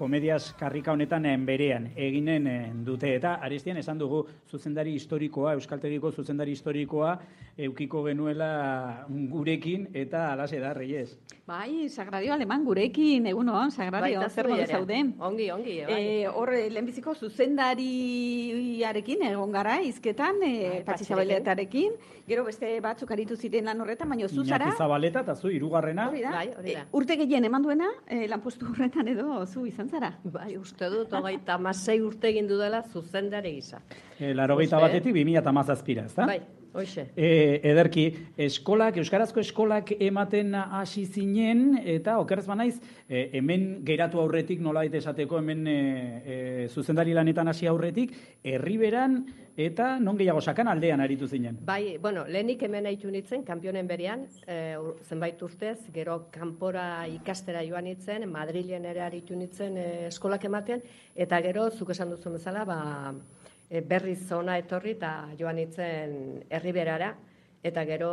komediaz karrika honetan berean eginen dute. Eta Arestian esan dugu zuzendari historikoa, Euskaltegiko zuzendari historikoa eukiko genuela gurekin eta alaxe da, Reyes. Bai, Sagrario Aleman gurekin, egunon, Sagrario, zer modu zauden? Ongi, Hor, lehenbiziko zuzendariarekin egon gara, izketan, Patxi Zabaletarekin, gero beste batzuk aritu ziren lan horretan, baina zu zara... Iñaki Zabaleta eta zu, hirugarrena. Hori da. Bai. Urte gehien eman duena, lanpostu horretan edo zu izan zara. Bai, uste dut, 26 urte egin dudala zuzendari gisa. 81-etik 2017, ezta? Bai, hoxe. Ederki, euskarazko eskolak ematen hasi zinen, eta okerrez banaiz, hemen geratu aurretik, nolabait esateko, hemen zuzendari lanetan hasi aurretik, Herriberan eta non gehiago sakan aldean aritu zinen. Bai, bueno, lehenik hemen haitu nintzen, kanpionen berian, zenbait urtez, gero kanpora ikastera joan nintzen, Madrilen ere aritu nintzen eskolak ematen, eta gero, zuk esan duzun bezala, berriz zona etorri eta joan nintzen Herriberara eta gero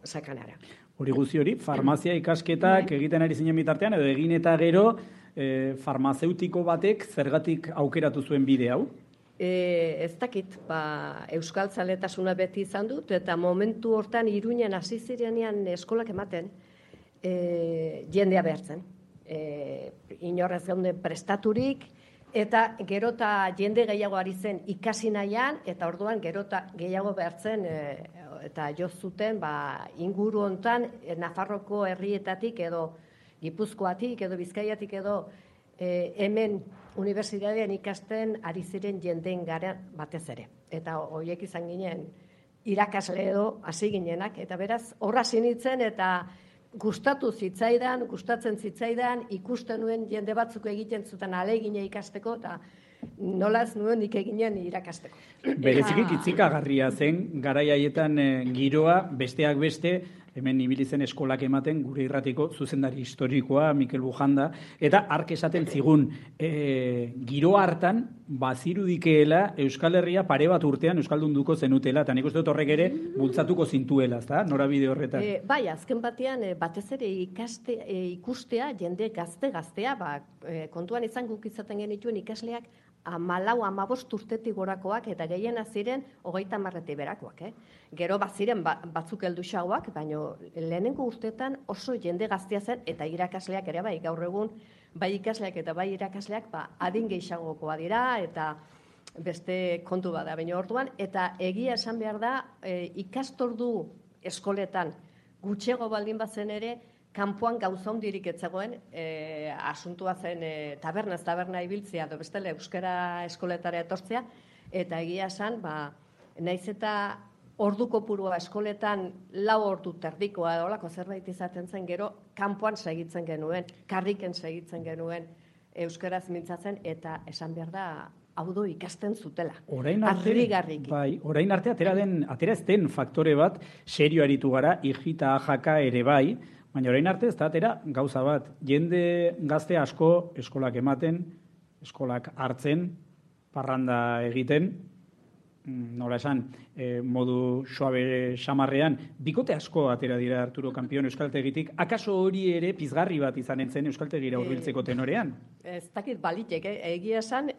sakanara. Hori guzti hori, farmazia ikasketak egiten ari zinen bitartean, edo egin eta gero farmazeutiko batek zergatik aukeratu zuen bide hau? Ez dakit, euskaltzaletasuna beti izan dut, eta momentu hortan Iruñan hasi zirenean eskolak ematen, jendea behartzen. Inorrez geunden prestaturik, eta gerota jende gehiago ari zen ikasi nahian, eta orduan gerota gehiago behartzen, eta jo zuten inguru hontan Nafarroko herrietatik edo Gipuzkoatik edo Bizkaiatik edo hemen unibertsitatean ikasten ari ziren jendeen gara batez ere. Eta horiek izan ginen irakasle edo hasi ginenak, eta beraz horra sinitzen eta gustatzen zitzaidan, ikusten nuen jende batzuk egiten zuten ahalegina ikasteko, eta nolaz nuen nik eginen irakasteko. Bereziki kitzikagarria zen, garai haietan giroa, besteak beste, hemen ibili zen eskolak ematen, gure irratiko zuzendari historikoa, Mikel Bujanda, eta hark esaten zigun, giroa hartan, bazirudikeela Euskal Herria pare bat urtean Euskaldunduko zenutela, eta nik uste dut horrek ere bultzatuko zintuela, ezta? Norabide horretan. Bai, azken batean, batez ere ikustea, jende gaztea, kontuan izan guk izaten genituen ikasleak, 14-15 urtetik gorakoak eta gehiena ziren 30 berakoak. Gero baziren batzuk helduxagoak, baina lehenengo urtetan oso jende gaztea zen eta irakasleak ere bai, gaur egun bai ikasleak eta bai irakasleak adin gehiagokoa dira eta beste kontu bada. Baina orduan, eta egia esan behar da, ikastordu eskoletan gutxego baldin bazen ere, kanpoan gauza hondirik ez zegoen, asuntua zen taberna ibiltzea, edo bestela euskara eskoletara etortzea, eta egia esan, naiz eta ordu kopurua eskoletan 4 ordu terdikoa olako zerbait izaten zen, gero kanpoan segitzen genuen, karriken segitzen genuen euskaraz mintzatzen, eta esan behar da, hau du ikasten zutela. Orain arte atera ez den faktore bat, serio aritu gara, hijita ajaka ere bai, baina orain arte ez da atera gauza bat. Jende gazte asko eskolak ematen, eskolak hartzen, parranda egiten, nola esan, modu suabe xamarrean, bikote asko atera dira Arturo Kampion Euskaltegitik, akaso hori ere pizgarri bat izanen zen Euskaltegira hurbiltzeko tenorean? Ez dakit balitek, egia esan,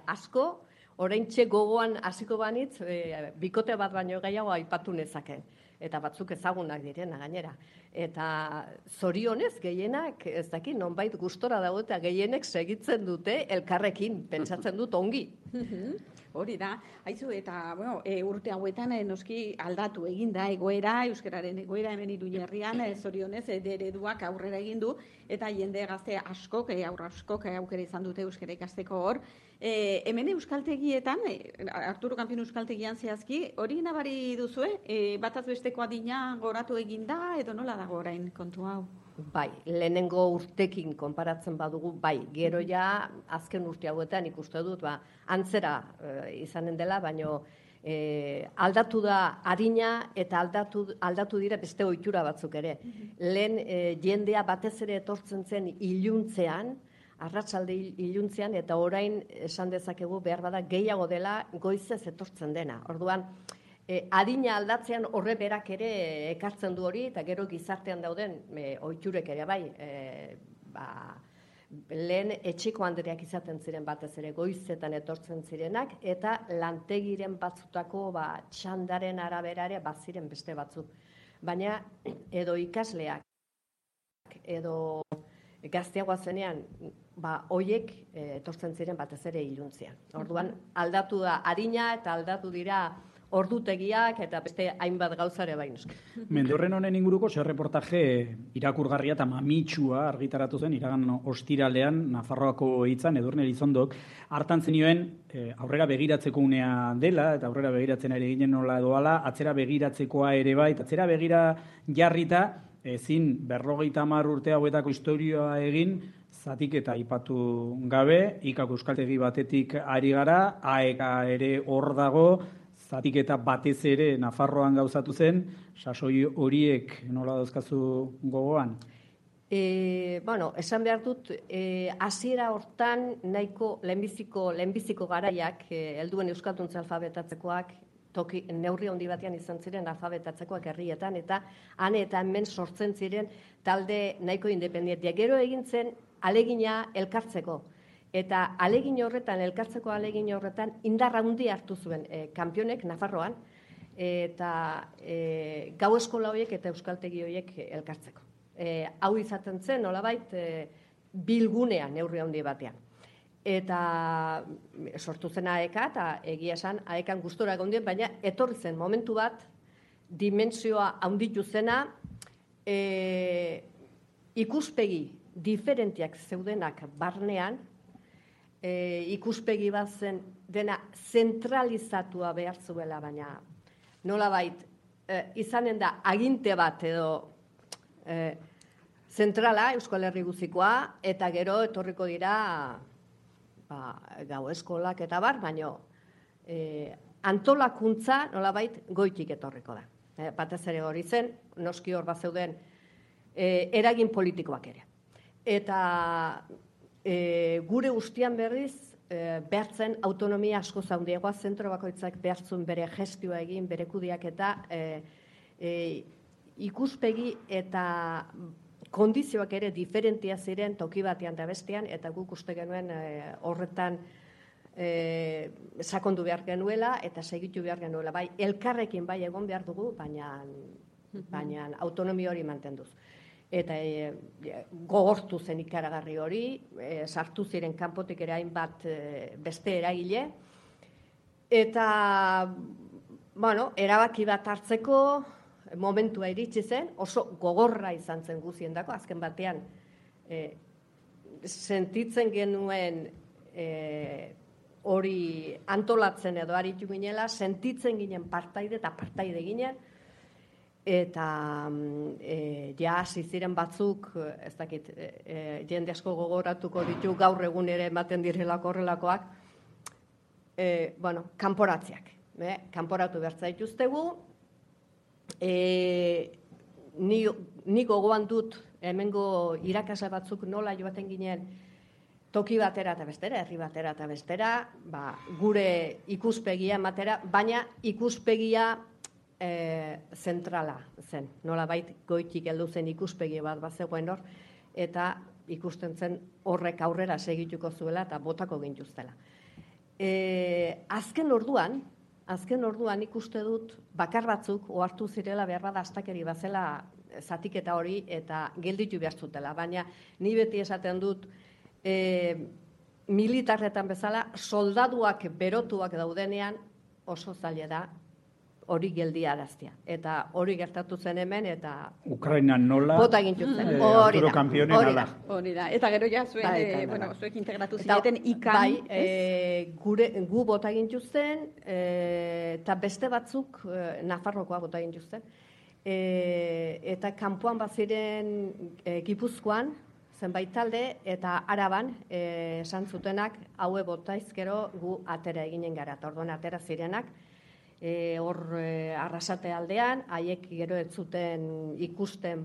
asko, oraintxe gogoan hasiko banitz, bikote bat baino gehiago aipatu nezake. Eta batzuk ezagunak direna gainera. Eta zorionez gehienak, ez dakit, nonbait gustora dago eta gehienek segitzen dute elkarrekin, pentsatzen dut ongi. Hori da, haizu, eta urte hauetan noski aldatu egin da egoera, euskararen egoera hemen Iruñerrian, zorionez ereduak aurrera egin du, eta jende gazte askok, aurra askok aukera izan dute euskara ikasteko hor. Hemen euskaltegietan, Arturo Kampion euskaltegian zehazki, hori nabari duzue? Bataz besteko adina goratu egin da, edo nola dago orain kontu hau? Bai, lehenengo urtekin konparatzen badugu, bai, gero ja azken urte hauetan ikuste dut, antzera izanen dela, baino aldatu da adina eta aldatu dira beste ohitura batzuk ere. Lehen jendea batez ere etortzen zen iluntzean, arratsalde iluntzean, eta orain esan dezakegu behar bada gehiago dela goizez etortzen dena. Orduan, adina aldatzean horre berak ere ekartzen du hori, eta gero gizartean dauden ohiturek ere bai, lehen etxeko handereak izaten ziren batez ere goizetan etortzen zirenak, eta lantegiren batzutako txandaren araberare baziren beste batzuk. Baina edo ikasleak, edo gazteagoa zenean, hoiek etortzen ziren batez ere iluntzean. Orduan aldatu da harina eta aldatu dira ordutegiak eta beste hainbat gauzare baino. Mendorren honen inguruko reportaje irakurgarria eta mamitsua argitaratu zen iragan ostiralean Nafarroako hitzan Edurne Elizondok hartan zenioen aurrera begiratzeko unea dela eta aurrera begiratzen ari ginen nola doala, atzera begiratzekoa ere bai, atzera begira jarrita ezin 50 urte hauetako istorioa egin zatik eta aipatu gabe, ikako euskaltegi batetik ari gara, AEK ere hor dago, zatik eta batez ere Nafarroan gauzatu zen, sasoi horiek nola dauzkazu gogoan? Esan behar dut, hasiera hortan nahiko lehenbiziko garaiak, helduen euskalduntza alfabetatzekoak, neurri handi batean izan ziren alfabetatzekoak herrietan, eta han eta hemen sortzen ziren talde nahiko independentia. Gero egin zen alegina elkartzeko. Eta elkartzeko alegin horretan, indar handi hartu zuen kanpionek Nafarroan, eta gau eskola horiek eta euskaltegi horiek elkartzeko. Hau izaten zen, nolabait, bilgunea neurri handi batean. Eta sortu zen AEK, eta egia esan AEKan gustora gondien, baina etorri zen momentu bat, dimentsioa handitu zena, ikuspegi diferentiak zeudenak barnean, ikuspegi bat zen dena zentralizatua behar zuela, baina nolabait izanen da aginte bat edo zentrala Euskal Herri guzikoa, eta gero etorriko dira gau eskolak eta baina antolakuntza nolabait goitik etorriko da. Batez ere hori zen, noski hor bat zeuden eragin politikoak ere. Eta gure guztian berriz, behartzen autonomia asko zaundiagoa, zentro bakoitzak behartzun bere gestioa egin, bere kudiak eta ikuspegi eta kondizioak ere diferentia ziren toki batean da bestean, eta guk uste genuen horretan sakondu behar genuela eta segitu behar genuela. Bai, elkarrekin bai egon behar dugu, baina autonomia hori mantenduz. Eta gogortu zen ikaragarri hori, sartu ziren kanpotik ere hainbat beste eragile, eta erabaki bat hartzeko momentua iritsi zen, oso gogorra izan zen guziendako, azken batean sentitzen genuen hori antolatzen edo aritu ginela, sentitzen ginen partaide eta partaide ginen, eta hasi ziren batzuk, ez dakit, jende asko gogoratuko ditu gaur egun ere ematen direlako horrelakoak, kanporatziak. Kanporatu behar zaituztegu, ni gogoan dut hemengo irakasle batzuk nola joaten ginen toki batera eta bestera, herri batera eta bestera, gure ikuspegia ematera, baina ikuspegia zentrala zen. Nolabait goitik heldu zen ikuspegi bat zegoen hor, eta ikusten zen horrek aurrera segituko zuela eta botako gintuztela. Azken orduan ikuste dut bakar batzuk ohartu zirela behar da astakeri bazela zatiketa hori eta gelditu behar zutela. Baina ni beti esaten dut militarretan bezala soldaduak berotuak daudenean oso zaila da hori geldiaraztea. Eta hori gertatu zen hemen, eta Ukrainan nola, bota egintu zen. Arturo Kampionen ala. Hori da. Eta gero ja zuek integratu zineten ikan. Gu bota egintu zen, eta beste batzuk Nafarrokoa bota egintu zen. Eta kanpoan baziren Gipuzkoan, zenbait talde, eta Araban esan zutenak, haue botaizkero gu atera eginen gara. Eta orduan atera zirenak, hor Arrasate aldean, haiek gero ez zuten ikusten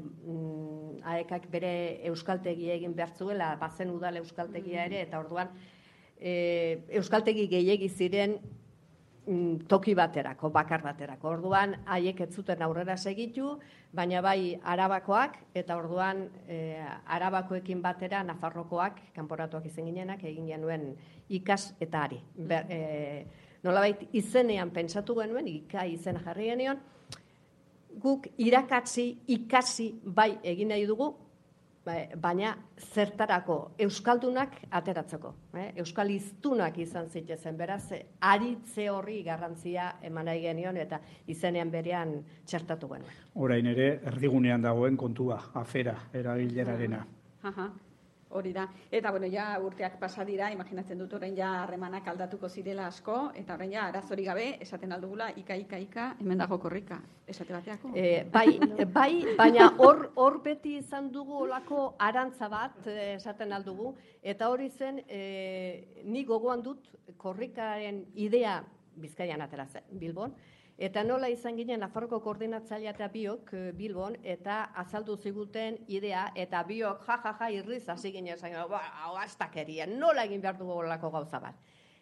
haekak bere euskaltegi egin behar zuela, bazen udal euskaltegia ere, eta orduan euskaltegi gehiegi ziren toki baterako, bakar baterako. Orduan, haiek ez zuten aurrera segitu, baina bai Arabakoak, eta orduan Arabakoekin batera Nafarrokoak, kanporatuak izan ginenak, egin genuen ikas eta ari. Nolabait izenean pentsatu genuen, izena jarri genion, guk ikasi bai egin nahi dugu, baina zertarako euskaldunak ateratzeko. Euskal hiztunak izan zitezen, beraz, aritze horri garrantzia eman nahi genion eta izenean berean txertatu genuen. Orain ere, erdigunean dagoen kontua, afera, eragilerarena. Hori da. Eta, bueno, ja urteak pasa dira, imaginatzen dut orain ja harremanak aldatuko zirela asko, eta orain ja arazori gabe, esaten aldugula, ika, hemen dago korrika, esate bateako. Bai, baina hor beti izan dugu olako arantza bat, esaten aldugu, eta hori zen, ni gogoan dut korrikaren idea Bizkaian atera zen, Bilbon, eta nola izan ginen Nafarroko koordinatzailea eta biok Bilbon, eta azaldu ziguten idea, eta biok irriz hasi ginen esan, hau astakeria, nola egin behar dugu olako gauza bat.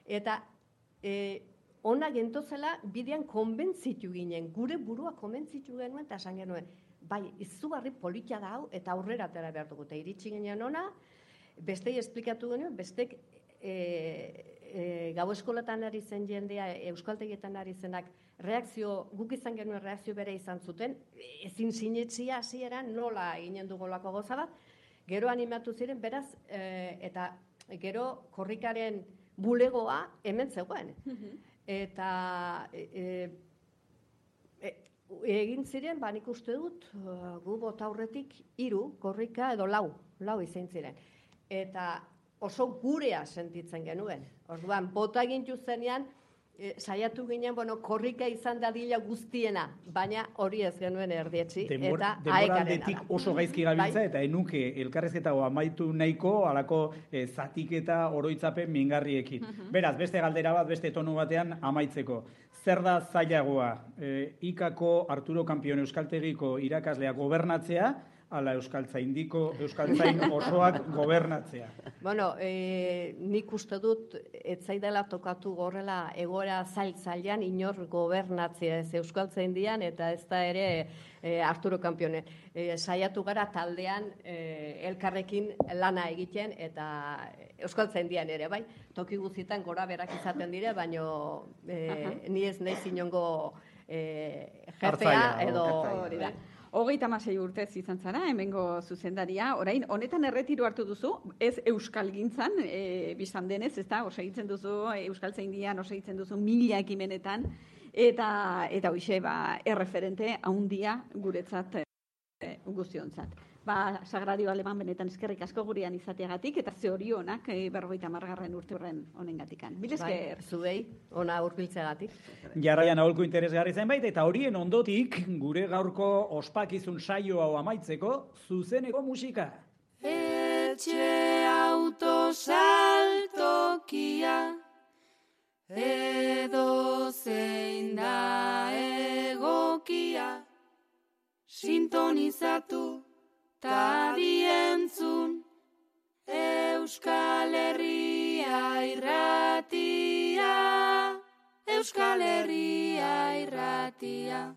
Eta ona gentozela bidean konbentzitu ginen, gure burua konbentzitu genuen, eta esan genuen, bai, izugarri politia da hau, eta aurrera atera behar dugu, eta iritsi ginen ona, bestei esplikatu genuen, bestek gau eskolatan ari zen jendea, euskaltegietan ari zenak, guk izan genuen reakzio bere izan zuten, ezin sinetzia hasieran nola ginen dugolako goza bat, gero animatu ziren, beraz, eta gero korrikaren bulegoa hemen zegoen. Eta egin ziren, nik uste dut, gu bota aurretik 3 korrika edo 4 izan ziren. Eta oso gurea sentitzen genuen. Orduan, bota egin zenean, saiatu ginen, korrika izan dadila guztiena, baina hori ez genuen erdietzi. Denboraldetik oso gaizki gabiltza, eta enuke elkarrezketa amaitu nahiko, alako zatiketa oroitzapen mingarriekin. Beraz, beste galdera bat, beste tonu batean amaitzeko. Zer da zailagoa, ikako Arturo Kampion euskaltegiko irakaslea gobernatzea, ala euskaltzain osoak gobernatzea? Nik uste dut, ez zaidala tokatu gorrela egoera zailan inor gobernatzea ez euskaltzaindian, eta ez da ere Arturo Kampione. Saiatu gara taldean elkarrekin lana egiten, eta euskaltzaindian ere, bai? Toki guztietan gora berak izaten dire, baina ni ez nahi zinongo jefea edo... 36 urtez izan zara, hemengo zuzendaria, orain, honetan erretiru hartu duzu, ez euskalgintzan, bizan denez, ez da, osegitzen duzu, euskaltzaindian osegitzen duzu 1000 ekimenetan, eta hoxe, erreferente haundia guretzat guztiontzat. Sagrario Aleman benetan eskerrik asko gurean izateagatik, eta zorionak 50. urte horren honengatikan. Mil esker. Zuei, ona hurbiltzeagatik. Jarraian aholku interesgarri zenbait, eta horien ondotik, gure gaurko ospakizun saio hau amaitzeko, zuzeneko musika. Etxe autosaltokia, edo zein da egokia, sintonizatu tadientzun, Euskal Herria irratia, Euskal Herria irratia.